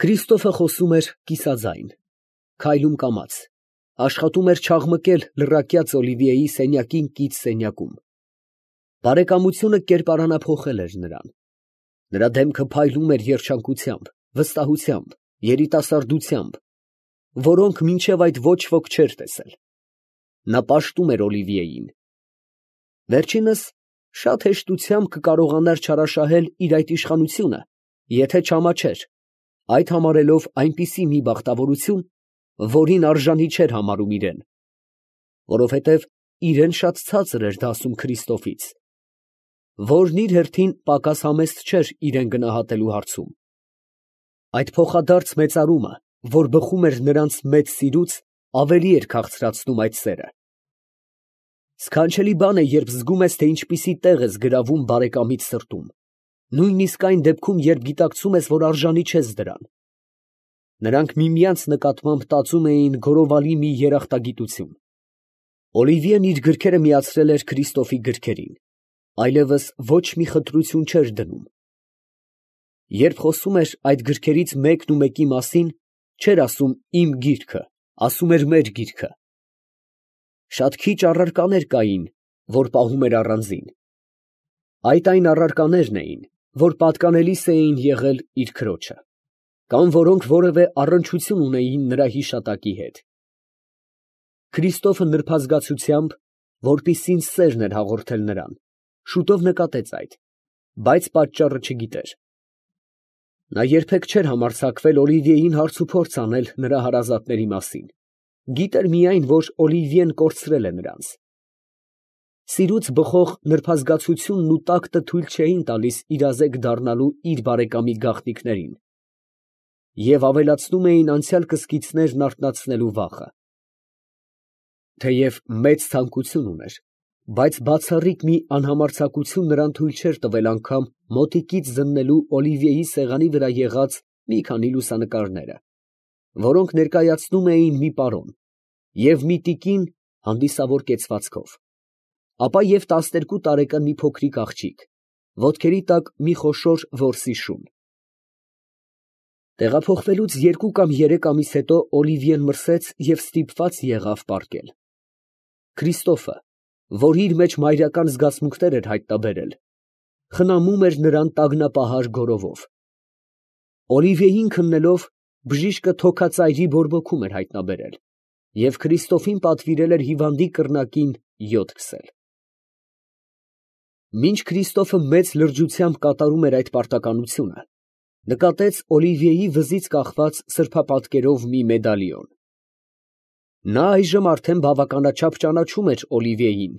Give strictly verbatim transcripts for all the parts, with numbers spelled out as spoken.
Քրիստոֆը խոսում էր կիսաձայն, քայլում կամաց, աշխատում էր չաղմկել լռակյաց Օլիվիեի սենյակին կից սենյակում։ Բարեկամությունը կերպարանափոխել էր նրան։ Նրա դեմքը փայլում էր երջանկությամբ, վստահությամբ, երիտասարդությամբ, որոնք մինչև այդ ոչ ոք չէր տեսել։ Նա պաշտում էր Օլիվիեին։ Վերջինս շատ հեշտությամբ կկարողանար չարաշահել իր այդ իշխանությունը, եթե չամաչեր, այդ համարելով այնպիսի մի բախտավորություն, որին արժանի չէր համարում իրեն, որովհետև իրեն շատ ցածր էր դասում Քրիստոֆից, որն իր հերթին պակաս համեստ չէր իրեն գնահատելու հարցում։ Այդ փոխադարձ մեծարումը, որ բխում էր նրանց մեծ սիրուց, ավելի էր քաղցրացնում այդ սերը։ Սքանչելի բան է, երբ զգում ես, թե ինչպիսի տեղ ես գրավում բարեկամիդ սրտում, նույնիսկ այն դեպքում, երբ գիտակցում ես, որ արժանի չես դրան։ Նրանք միմյանց նկատմամբ տածում էին գոռովալի մի երախտագիտություն։ Օլիվիեն իր գրքերը միացրել էր Քրիստոֆի գրքերին, այլևս ոչ մի խտրություն չէր դնում։ Երբ խոսում էր այդ գրքերից մեկն ու մեկի մասին, չէր ասում իմ գիրքը, ասում էր մեր գիրքը։ Շատ քիչ առարկաներ կային, որ պահում էր առանձին։ Այդ այն առարկաներն էին, որ պատկանելիս էին եղել իր քրոջը, կամ որոնք որևէ առնչություն ունեին նրա հիշատակի հետ։ Քրիստոֆը նրբազգացությամբ, որպիսին սերն էր հաղորդել նրան, շուտով նկատեց այդ, բայց պատճառը չգիտեր։ Նա երբեք չէր համարձակվել Օլիվիեին հարցուփորձ անել նրա հարազատների մասին, գիտեր միայն, որ Օլիվիեն կորցրել է նրանց։ Սիրուց բխող նրբազգացությունն ու տակտը թույլ չէին տալիս իրազեկ դառնալու իր բարեկամի գաղտնիքներին և ավելացնում էին անցյալ կսկիցներն արթնացնելու վախը։ Թեև մեծ ցանկություն ուներ, բայց բացառիկ մի անհամարձակություն նրան թույլ չէր տվել անգամ մոտիկից զննելու Օլիվիեի սեղանի վրա եղած մի քանի լուսանկարները, որոնք ներկայացնում էին մի պարոն և մի տիկին հանդիսավոր կեցվածքով, ապա և տասներկու տարեկան մի փոքրիկ աղջիկ, ոտքերի տակ մի խոշոր որսի շուն։ Տեղափոխվելուց երկու կամ երեք ամիս հետո Օլիվիեն մրսեց և ստիպված եղավ պառկել։ Քրիստոֆը, որ իր մեջ մայրական զգացմունքներ էր հայտնաբերել, խնամում էր նրան տագնապահար գոռովով։ Օլիվիեին քննելով, բժիշկը թոքածայրի բորբոքում էր հայտնաբերել և Քրիստոֆին պատվիրել էր հիվանդի կռնակին յոդ քսել։ Մինչ Քրիստոֆը մեծ լրջությամբ կատարում էր այդ պարտականությունը, նկատեց Օլիվիեի վզից կախված սրբապատկերով մի մեդալիոն։ Նա այժմ արդեն բավականաչափ ճանաչում էր Օլիվիեին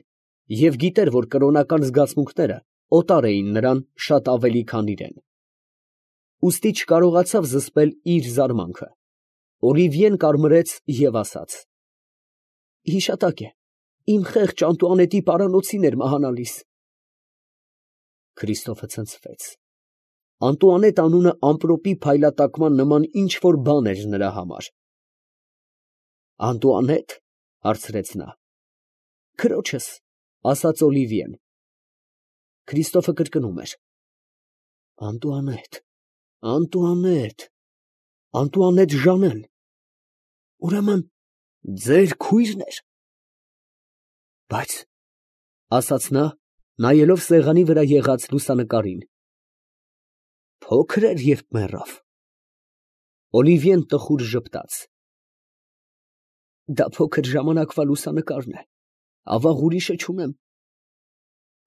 և գիտեր, որ կրոնական զգացմունքները օտար էին նրան շատ ավելի, քան իրեն։ Ուստի չկարողացավ զսպել իր զարմանքը։ Օլիվիեն կարմրեց և ասաց. «Հիշատակ է, իմ խեղճ Անտուանետի պարանոցին էր մահանալիս»։ Քրիստոֆը ցնցվեց։ Անտուանետ անունը ամպրոպի փայլատակման նման ինչ֊որ բան էր նրա համար։ ֊ Անտուանե՞տ, ֊ հարցրեց նա։ ֊ Քրոջս, ֊ ասաց Օլիվիեն։ Քրիստոֆը կրկնում էր. Անտուանետ, Անտուանետ, Անտուանետ Ժանեն, ուրեմն ձեր քույրն էր։ ֊ Բայց, ֊ ասաց նա, նայելով սեղանի վրա եղած լուսանկարին, ֊ փոքր էր, երբ մեռավ։ Օլիվիեն տխուր ժպտաց։ Դա փոքր ժամանակվա լուսանկարն է, ավաղ ուրիշը չունեմ։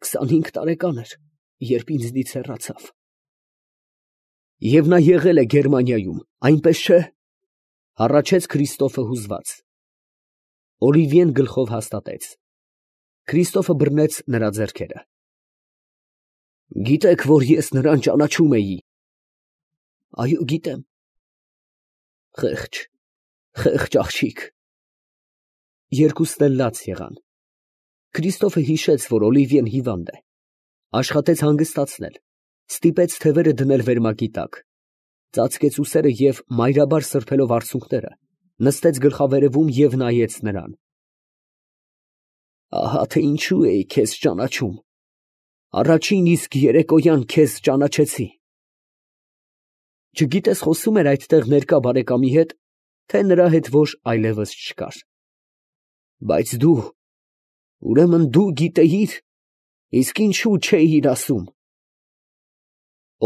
քսանհինգ տարեկան էր, երբ ինձնից հեռացավ։ Եվ նա եղել է Գերմանիայում, այնպես չէ՞, ֊ հառաչեց Քրիստոֆը հուզված։ Օլիվիեն գլխով հաստատեց։ Քրիստոֆը բռնեց նրա ձեռքերը։ Գիտեք, որ ես նրան ճանաչում էի։ Այո, գիտեմ։ Խեղճ, խեղճ աղջիկ։ Երկուսն էլ լաց եղան։ Քրիստոֆը հիշեց, որ Օլիվիեն հիվանդ է, աշխատեց հանգստացնել, ստիպեց թևերը դնել վերմակի տակ, ծածկեց ուսերը և, մայրաբար սրբելով արցունքները, նստեց գլխավերևում և նայեց նրան։ Ահա թե ինչու էի քեզ ճանաչում, առաջին իսկ երեկոյան քեզ ճանաչեցի։ Չգիտես խոսում էր այդտեղ ներկա բարեկամի հետ, թե նրա հետ որ այլևս չկար։ Բայց դու, ուրեմն դու գիտեիր, իսկ ինչու չէիր ասում։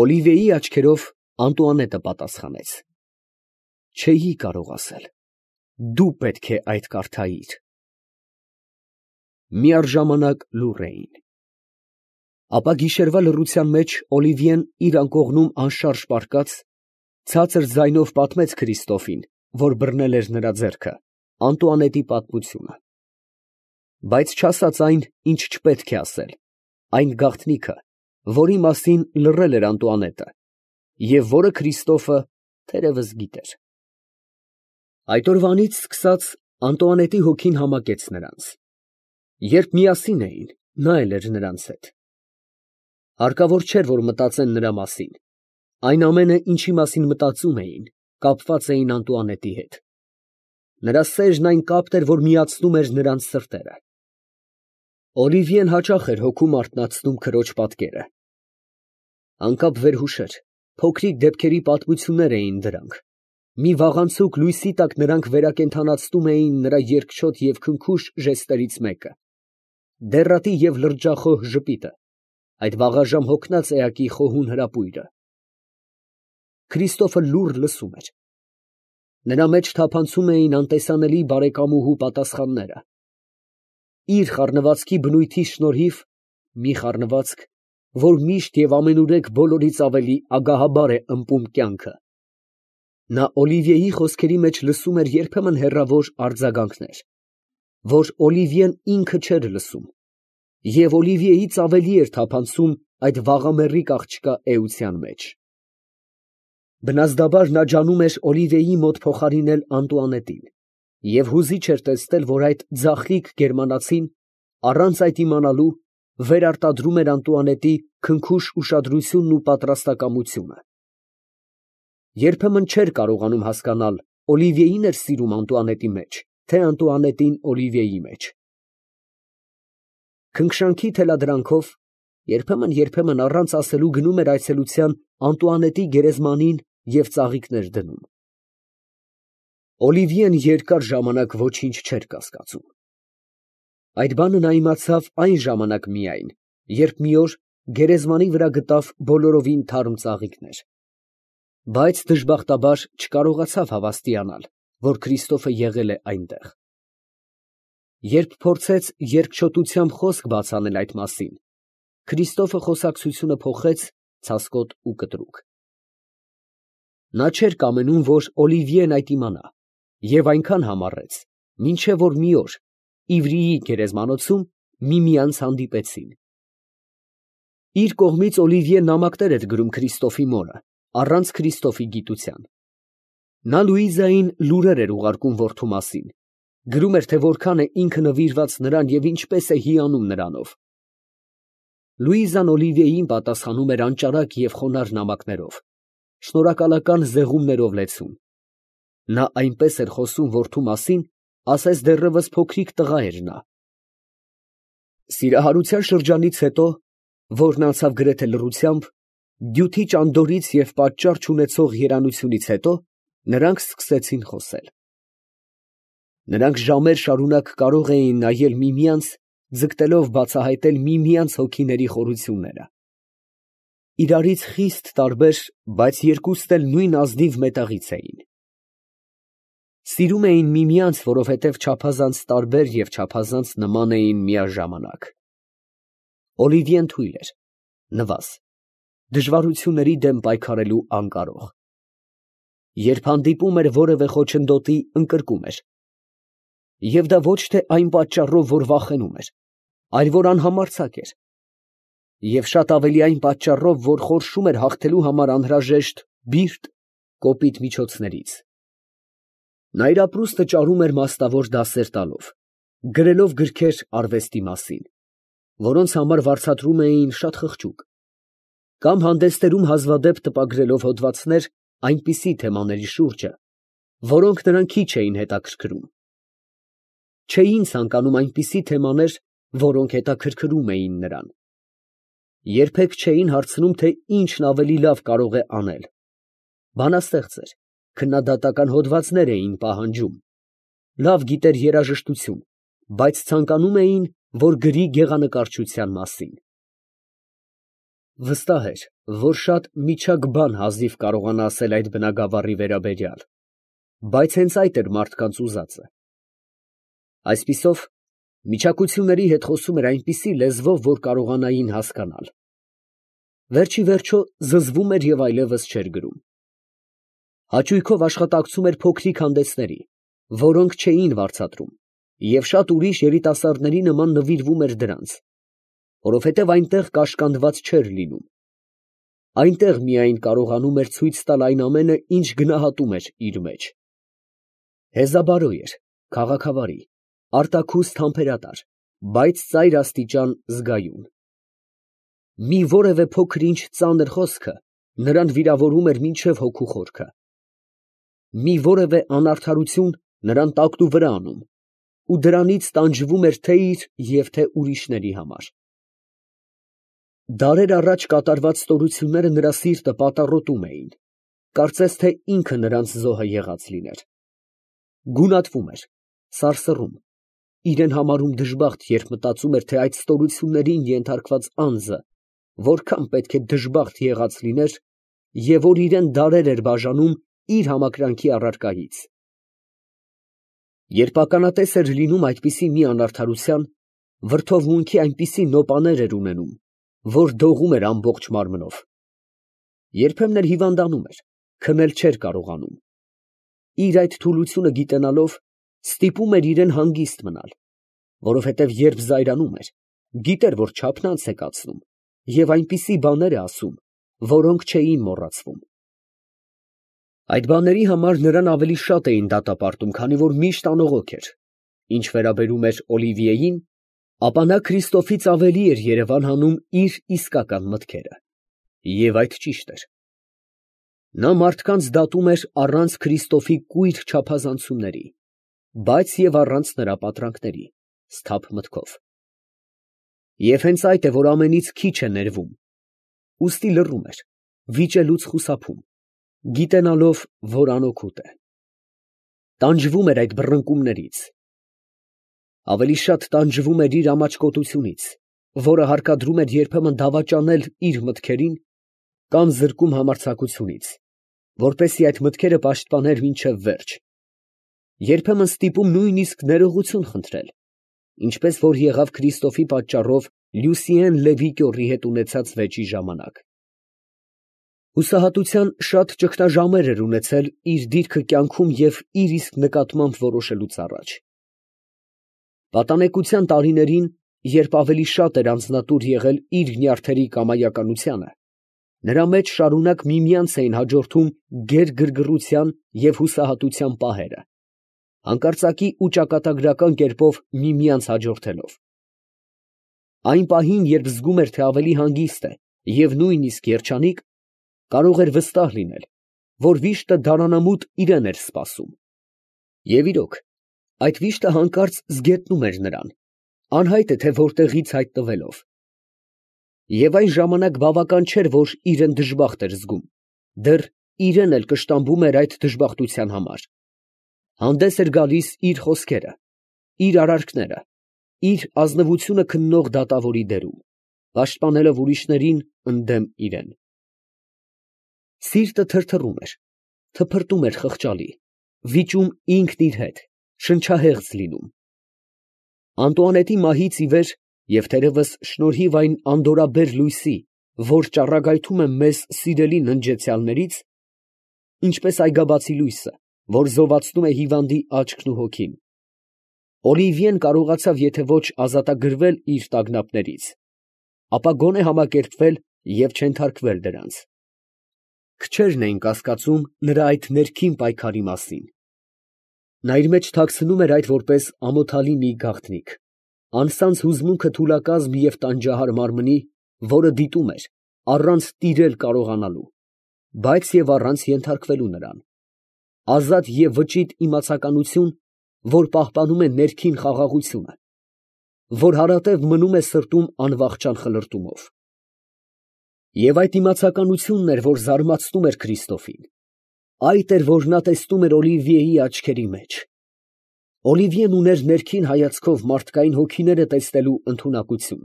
Օլիվիեի աչքերով Անտուանետը պատասխանեց. չէի կարող ասել, դու պետք է այդ կարդայիր։ Միառժամանակ լուռ էին։ Ապա գիշերվա լռության մեջ Օլիվիեն իր անկողնում անշարժ պառկած, ցածր ձայնով պատմեց Քրիստոֆին, որ բռնել էր նրա ձեռքը, Անտուանետի պատմությունը։ Բայց չասաց այն, ինչ չպետք է ասել, այն գաղտնիքը, որի մասին լռել էր Անտուանետը, և որը Քրիստոֆը թերևս գիտեր։ Այդ օրվանից սկսած Անտուանետի հոգին համակեց նրանց։ Երբ միասին էին, նա էլ էր նրանց հետ։ Հարկավոր չէր, որ մտածեն նրա մասին. այն ամենը, ինչի մասին մտածում էին, կապված էին Անտուանետի հետ։ Նրա սերն այն կապն էր, որ միացնում էր նրանց սրտերը։ Օլիվիեն հաճախ էր հոգում արթնացնում քրոջ պատկերը։ Անկապ վերհուշեր, փոքրիկ դեպքերի պատմություններ էին դրանք։ Մի վաղանցուկ լույսի տակ նրանք վերակենդանացնում էին նրա երկչոտ և քնքուշ ժեստերից մեկը, դեռատի և լրջախոհ ժպիտը, այդ վաղաժամ հոգնած էակի խոհուն հրապույրը։ Քրիստոֆը լուռ լսում էր։ Նրա մեջ թափանցում էին անտեսանելի բարեկամուհու պատասխանները։ Իր խառնվածքի բնույթի շնորհիվ, մի խառնվածք, որ միշտ և ամենուրեք բոլորից ավելի ագահաբար է ըմպում կյանքը, նա Օլիվիեի խոսքերի մեջ լսում էր երբեմն հեռավոր արձագանքներ, որ Օլիվիեն ինքը չէր լսում, և Օլիվիեից ավելի էր թափանցում այդ վաղամեռիկ աղջկա էության մեջ։ Բնազդաբար նա ջանում էր Օլիվիեի մոտ փոխարինել Անտուանետին, և հուզիչ էր տեսնել, որ այդ ձախլիկ գերմանացին, առանց այդ իմանալու, վերարտադրում էր Անտուանետի քնքուշ ուշադրությունն ու պատրաստակամությունը։ Երբեմն չէր կարողանում հասկանալ Օլիվիեին էր սիրում Անտուանետի մեջ, թե Անտուանետին Օլիվիեի մեջ։ Քնքշանքի թելադրանքով երբեմն֊երբեմն առանց ասելու գնում էր այցելության Անտուանետի գերեզմանին և ծաղիկներ դնում։ Օլիվիեն երկար ժամանակ ոչինչ չէր կասկածում։ Այդ բանը նա իմացավ այն ժամանակ միայն, երբ մի օր գերեզմանի վրա գտավ բոլորովին թարմ ծաղիկներ։ Բայց դժբախտաբար չկարողացավ հավաստիանալ, որ Քրիստոֆը եղել է այնտեղ։ Երբ փորձեց երկչոտությամբ խոսք բաց անել այդ մասին, Քրիստոֆը խոսակցությունը փոխեց ցասկոտ ու կտրուկ։ Նա չէր կամենում, որ Օլիվիեն այդ իմանա, և այնքան համառեց, մինչև որ մի օր Իվրիի գերեզմանոցում միմյանց հանդիպեցին։ Իր կողմից Օլիվիեն նամակներ էր գրում Քրիստոֆի մորը, առանց Քրիստոֆի գիտության։ Նա Լուիզային լուրեր էր ուղարկում որդու մասին, գրում էր, թե որքան է ինքը նվիրված նրան և ինչպես է հիանում նրանով։ Լուիզան Օլիվիեին պատասխանում էր անճարակ և խոնարհ նամակներով, շնորհակալական զեղումներով լեցուն։ Նա այնպես էր խոսում որդու մասին, ասես դեռևս փոքրիկ տղա էր նա։ Սիրահարության շրջանից հետո, որն անցավ գրեթե լռությամբ, դյութի ճանդորից և պատճառ չունեցող երանությունից հետո, նրանք սկսեցին խոսել։ Նրանք ժամեր շարունակ կարող էին նայել միմյանց, ձգտելով բացահայտել միմյանց հոգիների խորությունները։ Իրարից խիստ տարբեր, բայց երկուստ էլ նույն ազնիվ մետաղից էին։ Սիրում էին միմյանց, որովհետև չափազանց տարբեր և չափազանց նման էին միաժամանակ։ Օլիվիեն թույլ էր, նվազ, դժվարությունների դեմ պայքարելու անկարող։ Երբ հանդիպում էր որևէ խոչընդոտի, ընկրկում էր։ Եվ դա ոչ թե այն պատճառով, որ վախենում էր, այլ որ անհամարձակ էր, և շատ ավելի այն պատճառով, որ խորշում էր հաղթելու համար անհրաժեշտ բիրտ, կոպիտ միջոցներից։ Նա իր ապրուստը ճարում էր մասնավոր դասեր տալով, գրելով գրքեր արվեստի մասին, որոնց համար վարձատրում էին շատ խղճուկ, կամ հանդեսներում հազվադեպ տպագրելով հոդվածներ այնպիսի թեմաների շուրջը, որոնք նրան քիչ էին հետաքրքրում։ Չէին ցանկանում այնպիսի թեմաներ, որոնք հետաքրքրում էին նրան։ Երբեք չէին հարցնում, թե ինչն ավելի լավ կարող է անել։ Բանաստեղծ էր, քննադատական հոդվածներ էին պահանջում, լավ գիտեր երաժշտություն, բայց ցանկանում էին, որ գրի գեղանկարչության մասին։ Վստահ էր, որ շատ միջակ բան հազիվ կարողանա ասել այդ բնագավառի վերաբերյալ, բայց հենց այդ էր մարդկանց ուզածը։ Այսպիսով, միջակությունների հետ խոսում էր այնպիսի լեզվով, որ կարողանային հասկանալ։ Վերջի վերջո զզվում էր և այլևս չէր գրում։ Հաճույքով աշխատակցում էր փոքրիկ հանդեսների, որոնք չէին վարձատրում, և շատ ուրիշ երիտասարդների նման նվիրվում էր դրանց, որովհետև այնտեղ կաշկանդված չէր լինում։ Այնտեղ միայն կարողանում էր ցույց տալ այն ամենը, ինչ գնահատում էր իր մեջ։ Հեզաբարո էր, քաղաքավարի, արտաքուստ համբերատար, բայց ծայր աստիճան զգայուն։ Մի որևէ փոքր-ինչ ծանր խոսքը նրան վիրավորում էր մինչև հոգու խորքը։ Մի որևէ անարդարություն նրան տակնուվրա անում, ու դրանից տանջվում էր թե իր և թե ուրիշների համար։ Դարեր առաջ կատարված ստորությունները նրա սիրտը պատառոտում էին, կարծես թե ինքը նրանց զոհը եղած լիներ։ Գունատվում էր, սարսռում, իրեն համարում դժբախտ, երբ մտածում էր, թե այդ ստորություններին ենթարկված անձը որքան պետք է դժբախտ եղած լիներ, և որ իրեն դարեր էր բաժանում իր համակրանքի առարկայից։ Երբ ականատես էր լինում այդպիսի մի անարդարության, վրդովմունքի այնպիսի նոպաներ էր ունենում, որ դողում էր ամբողջ մարմնով։ Երբեմն էլ հիվանդանում էր, քնել չէր կարողանում։ Իր այդ թուլությունը գիտենալով, ստիպում էր իրեն հանգիստ մնալ, որովհետև երբ զայրանում էր, գիտեր, որ չափն անց է կացնում, և այնպիսի բաներ է ասում, որոնք չէին մոռացվում։ Այդ բաների համար նրան ավելի շատ էին դատապարտում, քանի որ միշտ անողոք էր։ Ինչ վերաբերում էր Օլիվիեին, ապա նա Քրիստոֆից ավելի էր երևան հանում իր իսկական մտքերը։ Եվ այդ ճիշտ էր։ Նա մարդկանց դատում էր առանց Քրիստոֆի կույր չափազանցումների, բայց և առանց նրա պատրանքների, սթափ մտքով։ Եվ հենց այդ է, որ ամենից քիչ է ներվում, ուստի լռում էր, վիճելուց խուսափում, գիտենալով, որ անօգուտ է։ Տանջվում էր այդ բռնկումներից։ Ավելի շատ տանջվում էր իր ամաչկոտությունից, որը հարկադրում էր երբեմն դավաճանել իր մտքերին կամ զրկում համարձակությունից, որպեսզի այդ մտքերը պաշտպաներ մինչև վերջ, երբեմն ստիպում նույնիսկ ներողություն խնդրել, ինչպես որ եղավ Քրիստոֆի պատճառով Լյուսիեն Լևի կյորի հետ ունեցած վեճի ժամանակ։ Հուսահատության շատ ճգնաժամեր էր ունեցել իր դիրքը կյանքում և իր իսկ նկատմամբ որոշելուց առաջ։ Պատանեկության տարիներին, երբ ավելի շատ էր անձնատուր եղել իր նյարդերի կամայականությանը, նրա մեջ շարունակ միմյանց էին հաջորդում գեր֊գրգռության և հուսահատության պահերը, հանկարծակի ու ճակատագրական կերպով միմյանց հաջորդելով։ Այն պահին, երբ զգում էր, թե ավելի հանգիստ է և նույնիսկ երջանիկ, կարող էր վստահ լինել, որ վիշտը դարանամուտ իրան էր սպասում։ Եվ իրոք, այդ վիշտը հանկարծ զգետնում էր նրան, անհայտ է թե որտեղից հայտնվելով։ Եվ այն ժամանակ բավական չէր, որ իրեն դժբախտ էր զգում, դեռ իրեն էլ կշտամբում էր այդ դժբախտության համար։ Հանդես էր գալիս իր խոսքերը, իր արարքները, իր ազնվությունը քննող դատավորի դերում, պաշտպանելով ուրիշներին ընդդեմ իրեն։ Սիրտը թրթռում էր, թփրտում էր խղճալի, վիճում ինքն իր հետ, շնչահեղձ լինում։ Անտուանետի մահից ի վեր և թերևս շնորհիվ այն անդորրաբեր լույսի, որ ճառագայթում է մեզ սիրելի ննջեցյալներից, ինչպես այգաբացի լույսը, որ զովացնում է հիվանդի աչքն ու հոգին, Օլիվիեն կարողացավ եթե ոչ ազատագրվել իր տագնապներից, ապա գոնե համակերպվել և չենթարկվել դրանց։ Քչերն էին կասկածում նրա այդ ներքին պայքարի մասին։ Նա իր մեջ թաքցնում էր այդ որպես ամոթալի մի գաղտնիք, անսանձ հուզմունքը թուլակազմ և տանջահար մարմնի, որը դիտում էր, առանց տիրել կարողանալու, բայց և առանց ենթարկվելու նրան, ազատ և վճիտ իմացականություն, որ պահպանում է ներքին խաղաղությունը, որ հարատև մնում է սրտում անվախճան խլրտումով։ Եվ այդ իմացականությունն էր, որ զարմացնում էր Քրիստոֆին, Այդ էր, որ նա տեսնում էր Օլիվիեի աչքերի մեջ։ Օլիվիեն ուներ ներքին հայացքով մարդկային հոգիները տեսնելու ընդունակություն,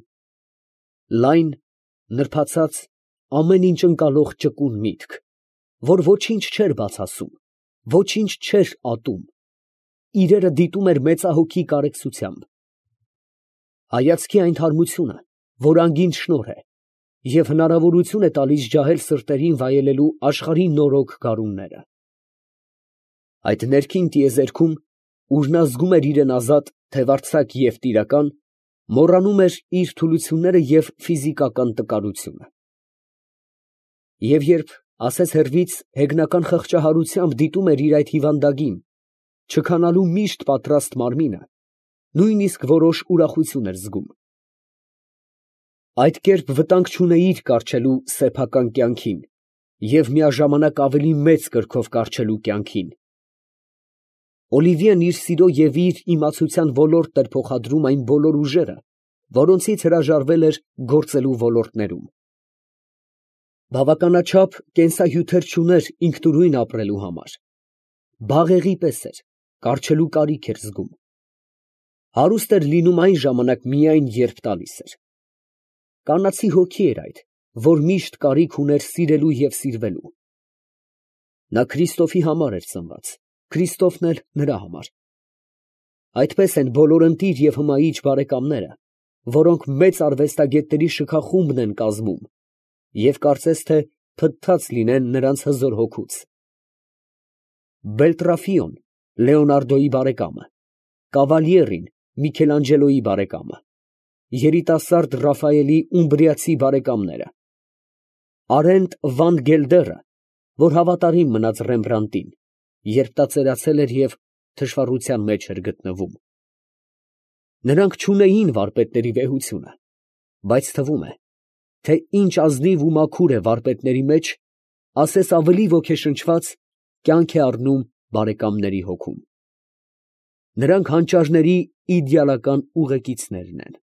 լայն, նրբացած, ամեն ինչ ընկալող ճկուն միտք, որ ոչինչ չէր բաց ասում, ոչինչ չէր ատում, իրերը դիտում էր մեծահոգի կարեկցությամբ։ Հայացքի այն թարմությունը, որ անգին շնորհ է և հնարավորություն է տալիս ջահել սրտերին վայելելու աշխարհի նորոգ գարունները։ Այդ ներքին տիեզերքում, ուր նա զգում էր իրան ազատ, թևարձակ և տիրական, մոռանում էր իր թուլությունները և ֆիզիկական տկարությունը։ Եվ երբ ասես հեռվից հեգնական խղճահարությամբ դիտում էր իր այդ հիվանդագին, չքանալու միշտ պատրաստ մարմինը, նույնիսկ որոշ ուրախություն էր զգում։ Այդ կերպ վտանգ չունեիր կառչելու սեփական կյանքին և միաժամանակ ավելի մեծ կրքով կառչելու կյանքին։ Օլիվիեն իր սիրո և իր իմացության ոլորտն էր փոխադրում այն բոլոր ուժերը, որոնցից հրաժարվել էր գործելու ոլորտներում։ Բավականաչափ կենսահյութեր չուներ ինքնուրույն ապրելու համար, բաղեղի պես էր, կառչելու կարիք էր զգում։ Հարուստ էր լինում այն ժամանակ միայն, երբ տալիս էր։ Կանացի հոգի էր այդ, որ միշտ կարիք ուներ սիրելու և սիրվելու։ Նա Քրիստոֆի համար էր ծնված, Քրիստոֆն էլ նրա համար։ Այդպես են բոլոր ընտիր և հմայիչ բարեկամները, որոնք մեծ արվեստագետների շքախումբն են կազմում և կարծես թե փտտած լինեն նրանց հզոր հոգուց։ Բելտրաֆիոն Լեոնարդոյի բարեկամը, Կավալիերին Միքելանջելոյի բարեկամը, երիտասարդ Ռաֆայելի ումբրիացի բարեկամները, Արենտ վան Գելդերը, որ հավատարիմ մնաց Ռեմբրանդտին, երբ նա ծերացել էր և թշվառության մեջ էր գտնվում։ Նրանք չունեին վարպետների վեհությունը, բայց թվում է, թե ինչ ազնիվ ու մաքուր է վարպետների մեջ, ասես ավելի ոգեշնչված, կյանք է առնում բարեկամների հոգում։ Նրանք հանճարների իդեալական ուղեկիցներն են։